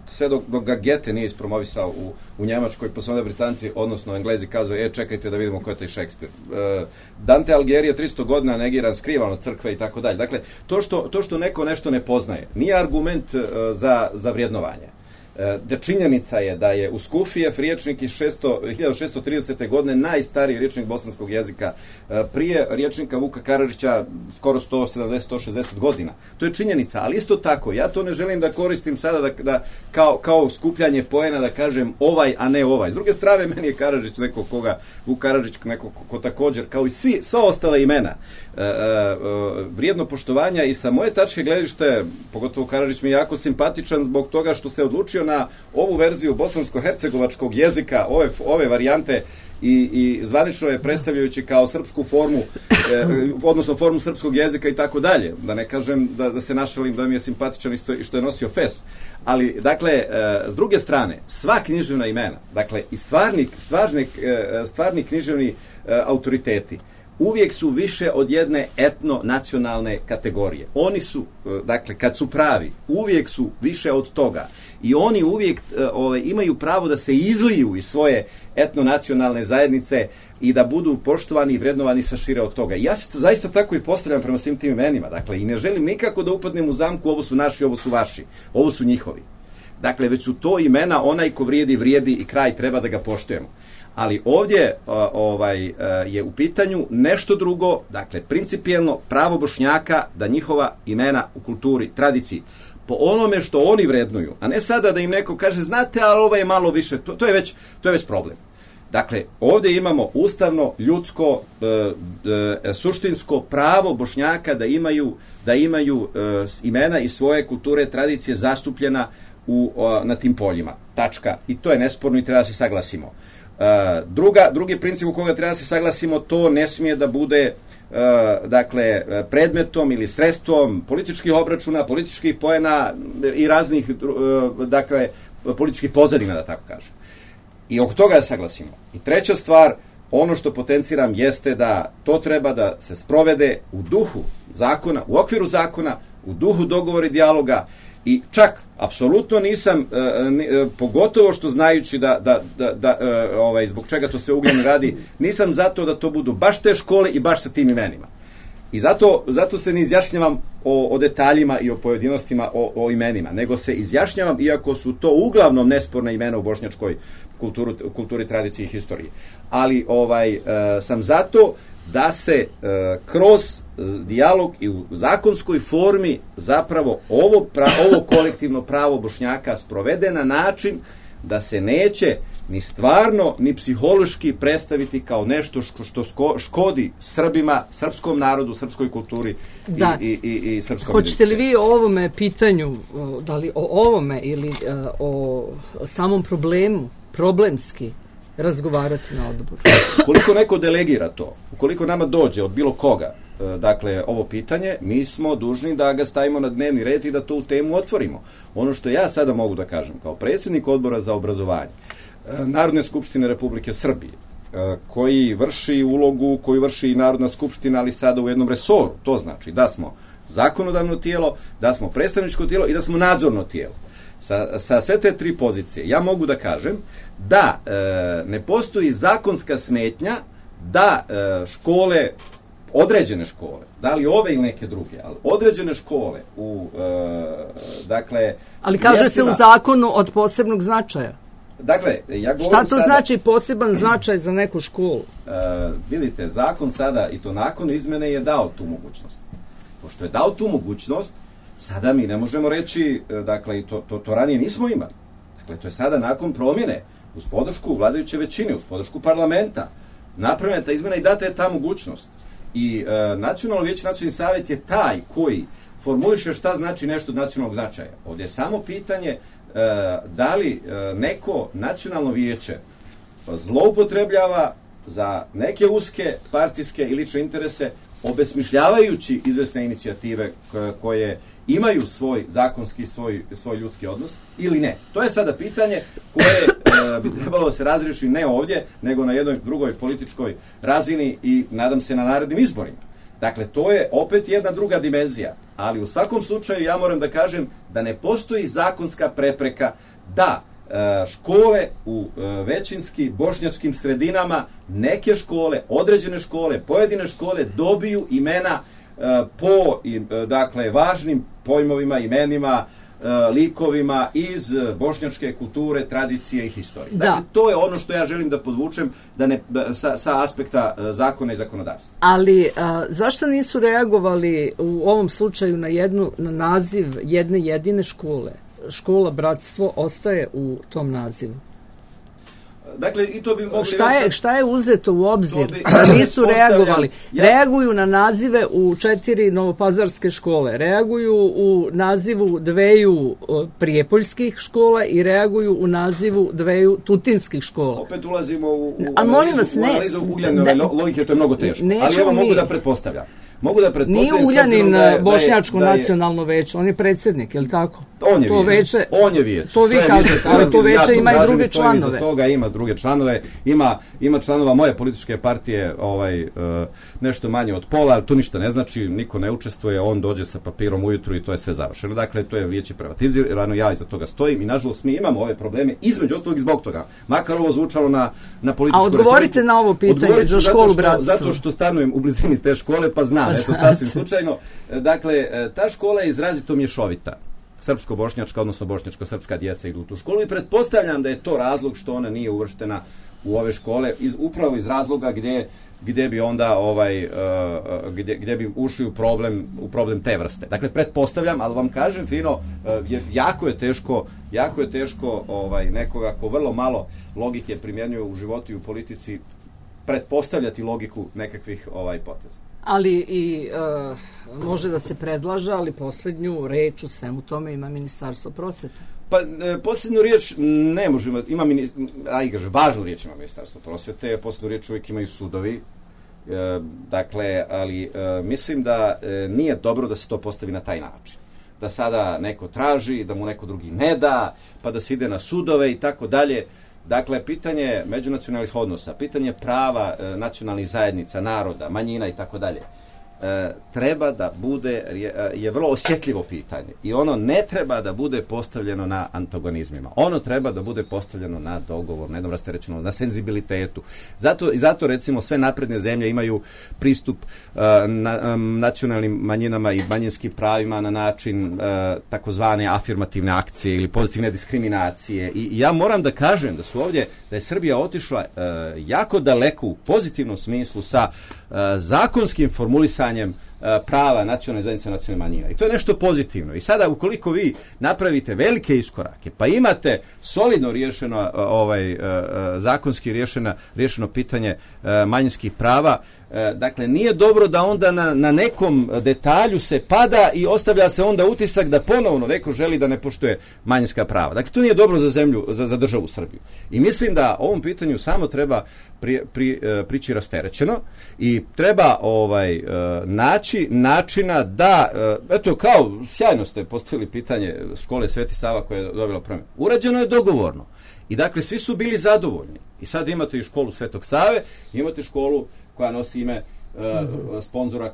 sve dok ga Goethe nije ispromovisao u Njemačkoj, pa su onda Britanci, odnosno Englezi, kazali, čekajte da vidimo ko je taj Šekspir. Dante Alighieri je 300 godina negiran, skrivan od crkve i tako dalje. Dakle, to što neko nešto ne poznaje, nije argument za vrijednovanje. Da činjenica je da je u Skufijev riječnik iz 1630. godine najstariji riječnik bosanskog jezika, prije riječnika Vuka Karadžića skoro 170-160 godina. To je činjenica, ali isto tako, ja to ne želim da koristim sada da kao skupljanje poena da kažem ovaj, a ne ovaj. S druge strane, meni je Karadžić neko Vuk Karadžić neko ko također, kao i sva ostala imena, vrijedno poštovanja i sa moje tačke gledište, pogotovo Karadžić mi je jako simpatičan zbog toga što se odlučio na ovu verziju bosansko-hercegovačkog jezika, ove varijante i zvanično je predstavljajući kao srpsku formu, odnosno formu srpskog jezika i tako dalje. Da ne kažem da se našalim da mi je simpatičan i što je nosio fes. Ali, dakle, s druge strane, sva književna imena, dakle, i stvarni književni autoriteti, uvijek su više od jedne etno-nacionalne kategorije. Oni su, dakle, kad su pravi, uvijek su više od toga. I oni uvijek imaju pravo da se izliju iz svoje etno-nacionalne zajednice i da budu poštovani i vrednovani sa šire od toga. I ja se zaista tako i postavljam prema svim tim imenima. Dakle, i ne želim nikako da upadnem u zamku, ovo su naši, ovo su vaši, ovo su njihovi. Dakle, već su to imena, onaj ko vrijedi i kraj, treba da ga poštujemo. Ali ovdje je u pitanju nešto drugo, dakle, principijelno pravo Bošnjaka da njihova imena u kulturi, tradiciji, po onome što oni vrednuju, a ne sada da im neko kaže, znate, ali ovo je malo više, to je već problem. Dakle, ovdje imamo ustavno, ljudsko, suštinsko pravo Bošnjaka da imaju imena i svoje kulture, tradicije zastupljena na tim poljima. Tačka. I to je nesporno i treba da se saglasimo. Drugi princip u koga treba da se saglasimo, to ne smije da bude dakle, predmetom ili sredstvom političkih obračuna, političkih poena i raznih dakle, političkih pozadina, da tako kažem. I oko toga da saglasimo. I treća stvar, ono što potenciram jeste da to treba da se sprovede u duhu zakona, u okviru zakona, u duhu dogovora i dijaloga. I čak, apsolutno nisam, pogotovo što znajući zbog čega to sve uglavnom radi, nisam zato da to budu baš te škole i baš sa tim imenima. I zato se ne izjašnjavam o detaljima i o pojedinostima, o imenima, nego se izjašnjavam, iako su to uglavnom nesporna imena u bošnjačkoj kulturi, tradiciji i historiji. Ali sam zato da se kroz dijalog i u zakonskoj formi zapravo ovo kolektivno pravo Bošnjaka sprovede na način da se neće ni stvarno ni psihološki predstaviti kao nešto što škodi Srbima, srpskom narodu, srpskoj kulturi i srpskom. Hoćete li vi o ovome pitanju, da li o ovome ili o samom problemu, problemski razgovarati na odboru? Ukoliko neko delegira to, ukoliko nama dođe od bilo koga, dakle, ovo pitanje, mi smo dužni da ga stavimo na dnevni red i da tu temu otvorimo. Ono što ja sada mogu da kažem, kao predsjednik odbora za obrazovanje Narodne skupštine Republike Srbije, koji vrši ulogu koju vrši i Narodna skupština, ali sada u jednom resoru, to znači da smo zakonodavno tijelo, da smo predstavničko tijelo i da smo nadzorno tijelo. Sa sve te tri pozicije ja mogu da kažem da ne postoji zakonska smetnja da škole, određene škole, da li ove ili neke druge, ali određene škole dakle... Ali kaže se u zakonu od posebnog značaja. Dakle, ja govorim šta to sada, znači poseban značaj za neku školu? Vidite, zakon sada, i to nakon izmene, je dao tu mogućnost. Pošto je dao tu mogućnost, sada mi ne možemo reći, dakle, to ranije nismo imali. Dakle, to je sada nakon promjene, uz podršku vladajuće većine, uz podršku parlamenta, napravljena ta izmena i data je ta mogućnost. I Nacionalno vijeće, Nacionalni savjet je taj koji formuliše šta znači nešto od nacionalnog značaja. Ovdje je samo pitanje da li neko nacionalno vijeće zloupotrebljava za neke uske partijske i lične interese, obesmišljavajući izvesne inicijative koje imaju svoj zakonski, svoj ljudski odnos, ili ne. To je sada pitanje koje bi trebalo se razriješiti ne ovdje, nego na jednoj drugoj političkoj razini i nadam se na narednim izborima. Dakle, to je opet jedna druga dimenzija, ali u svakom slučaju ja moram da kažem da ne postoji zakonska prepreka da škole u većinski bošnjačkim sredinama, neke škole, određene škole, pojedine škole dobiju imena po dakle važnim pojmovima, imenima, likovima iz bošnjačke kulture, tradicije i historije. Dakle, to je ono što ja želim da podvučem sa aspekta zakona i zakonodavstva. Ali zašto nisu reagovali u ovom slučaju na naziv jedne jedine škole? Škola Bratstvo ostaje u tom nazivu. Dakle, i to bi mogli šta je uzeto u obzir? Da nisu reagovali. Reaguju na nazive u 4 novopazarske škole, reaguju u nazivu 2 prijepoljskih škola i reaguju u nazivu 2 tutinskih škola. Opet ulazimo u analizu Ugljanove logike, to je mnogo teško. Ali evo mogu da pretpostavljam. Nije Uljanin Bošnjačko nacionalno veće, on je predsjednik, je li tako? On je vijeće. To vi kažete, ali to veće ima i druge članove. Toga ima druge članove, ima članova moje političke partije, nešto manje od pola, ali to ništa ne znači, niko ne učestvuje, on dođe sa papirom ujutru i to je sve završeno. Dakle, to je vijeće privatizirano, ja iza toga stojim i nažalost mi imamo ove probleme, između ostalog i zbog toga. Makar ovo zvučalo na političku. A odgovorite na ovo pitanje za školu Bratstvo. Zato što stanujem u blizini te škole, pa znam, eto sasvim slučajno. Dakle, ta škola je izrazito mješovita. Srpsko-bošnjačka, odnosno bošnjačko-srpska djeca idu u tu školu i pretpostavljam da je to razlog što ona nije uvrštena u ove škole, upravo iz razloga gdje bi onda gdje bi ušli u problem te vrste. Dakle, pretpostavljam, ali vam kažem fino, jako je teško nekoga ko vrlo malo logike primjenjuje u životu i u politici pretpostavljati logiku nekakvih poteza. Ali i može da se predlaže, ali posljednju reč u svemu tome ima Ministarstvo prosvete. Pa posljednju riječ ne možemo, važnu riječ ima Ministarstvo prosvete, posljednju riječ uvijek imaju sudovi, dakle, ali mislim da nije dobro da se to postavi na taj način. Da sada neko traži, da mu neko drugi ne da, pa da se ide na sudove i tako dalje. Dakle, pitanje međunacionalnih odnosa, pitanje prava nacionalnih zajednica, naroda, manjina i tako dalje, treba da bude, je vrlo osjetljivo pitanje i ono ne treba da bude postavljeno na antagonizmima. Ono treba da bude postavljeno na dogovor, na jednom rasterećenom, na senzibilitetu. Zato recimo sve napredne zemlje imaju pristup nacionalnim manjinama i manjinskim pravima na način takozvane afirmativne akcije ili pozitivne diskriminacije. I ja moram da kažem da je Srbija otišla jako daleko u pozitivnom smislu sa zakonskim formulisanjem prava nacionalne zajednice, nacionalne manjine. I to je nešto pozitivno. I sada ukoliko vi napravite velike iskorake, pa imate solidno riješeno zakonski riješeno pitanje manjinskih prava, dakle nije dobro da onda na nekom detalju se pada i ostavlja se onda utisak da ponovno neko želi da ne poštuje manjinska prava. Dakle, to nije dobro za zemlju, za državu Srbiju. I mislim da ovom pitanju samo treba prići rasterećeno i treba naći načina da, eto kao sjajno ste postavili pitanje škole Sveti Sava koja je dobila promjenu. Urađeno je dogovorno. I dakle svi su bili zadovoljni. I sad imate i školu Svetog Save, imate školu koja nosi ime sponzora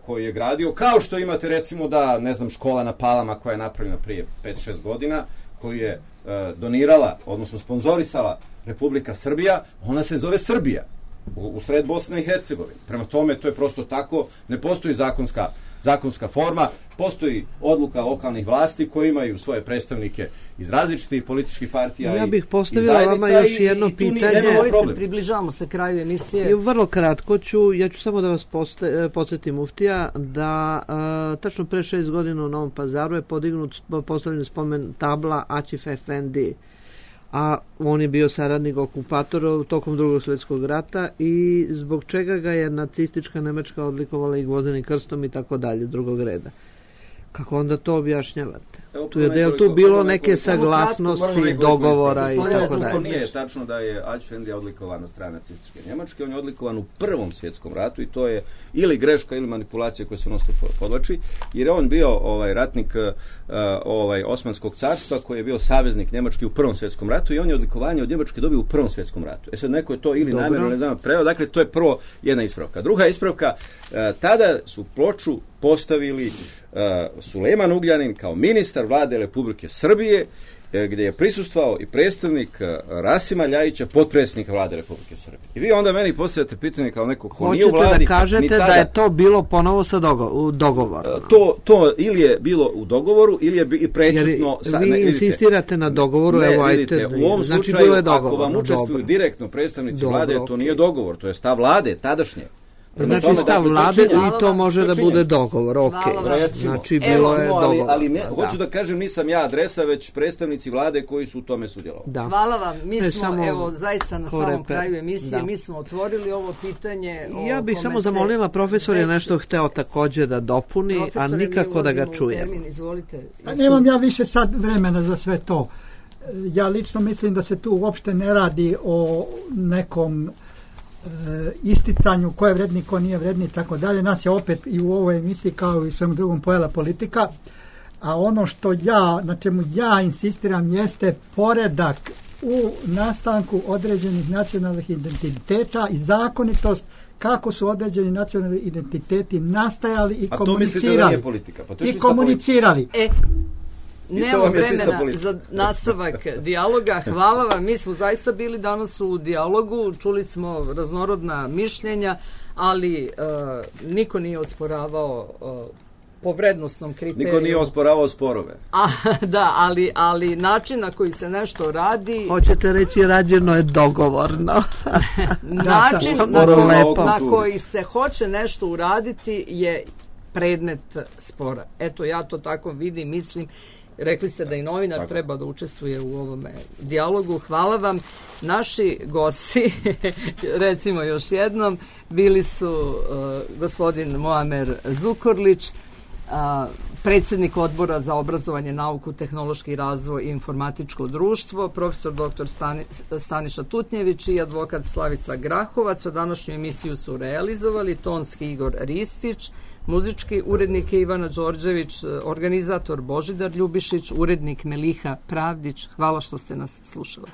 koji je gradio, kao što imate recimo da, ne znam, škola na Palama koja je napravljena prije 5-6 godina, koju je donirala, odnosno sponzorisala Republika Srbija, ona se zove Srbija u sred Bosne i Hercegovine. Prema tome, to je prosto tako, ne postoji zakonska forma, postoji odluka lokalnih vlasti koji imaju svoje predstavnike iz različitih političkih partija. Ja bih postavila vama još jedno pitanje. Približavamo se kraju emisije. Vrlo kratko ja ću samo da vas podsjetim, muftija, da tačno pre 6 godina u Novom Pazaru je postavljen spomen tabla Aćif Efendi, a on je bio saradnik okupatora tokom Drugog svjetskog rata i zbog čega ga je nacistička Nemačka odlikovala i gvozdenim krstom i tako dalje, drugog reda. Kako onda to objašnjavate? Je tu bilo neke saglasnosti, dogovora i tako dalje? To nije tačno da je Aćif Efendi odlikovan od strane nacističke Njemačke, on je odlikovan u Prvom svjetskom ratu i to je ili greška ili manipulacija koja se nosto podlači, jer je on bio ratnik Osmanskog carstva koji je bio saveznik Njemačke u Prvom svjetskom ratu i on je odlikovanje od Njemačke dobio u Prvom svjetskom ratu. Sad neko je to ili namjerno, ne znam, preveo, dakle to je prvo jedna ispravka. Druga ispravka, tada su ploču postavili Sulejman Ugljanin kao ministar vlade Republike Srbije, gdje je prisustvovao i predstavnik Rasima Ljajića, potpredsjednika vlade Republike Srbije. I vi onda meni postavljate pitanje kao neko ko nije u vladi. Hoćete da kažete da je to bilo ponovo sa dogovorom? To ili je bilo u dogovoru ili je i prečutno. Vi insistirate na dogovoru, evo ajte. U ovom slučaju, ako vam učestvuju direktno predstavnici vlade, to nije dogovor, to je stav vlade, tadašnje. Znači stav vlade i to može da bude dogovor, ok. Znači bilo je dogovor. Ali hoću da kažem, nisam ja adresa, već predstavnici vlade koji su u tome sudjelovali. Hvala vam, mi smo evo zaista na samom kraju emisije, mi smo otvorili ovo pitanje. Ja bih samo zamolila, profesor je nešto hteo također da dopuni, a nikako da ga čujem. Nemam ja više sad vremena za sve to. Ja lično mislim da se tu uopšte ne radi o nekom isticanju ko je vredni, ko nije vredni i tako dalje. Nas je opet i u ovoj emisiji kao i u svem drugom pojela politika, a ono što na čemu ja insistiram jeste poredak u nastanku određenih nacionalnih identiteta i zakonitost kako su određeni nacionalni identiteti nastajali i komunicirali. A to mislite da nije politika? Pa to je komunicirali. Nemamo vremena za nastavak dijaloga. Hvala vam, mi smo zaista bili danas u dijalogu, čuli smo raznorodna mišljenja, ali niko nije osporavao po vrednostnom kriteriju. Niko nije osporavao sporove. Da, ali način na koji se nešto radi... Hoćete reći rađeno je dogovorno. Način na koji se hoće nešto uraditi je predmet spora. Eto, ja to tako vidim, mislim. Rekli ste da i novinar treba da učestvuje u ovome dijalogu. Hvala vam. Naši gosti, recimo još jednom, bili su gospodin Muamer Zukorlić, predsjednik Odbora za obrazovanje, nauku, tehnološki razvoj i informatičko društvo, profesor dr. Staniša Tutnjević i advokat Slavica Grahovac. O današnju emisiju su realizovali tonski Igor Ristić, muzički urednik Ivana Đorđević, organizator Božidar Ljubišić, urednik Meliha Pravdić. Hvala što ste nas slušali.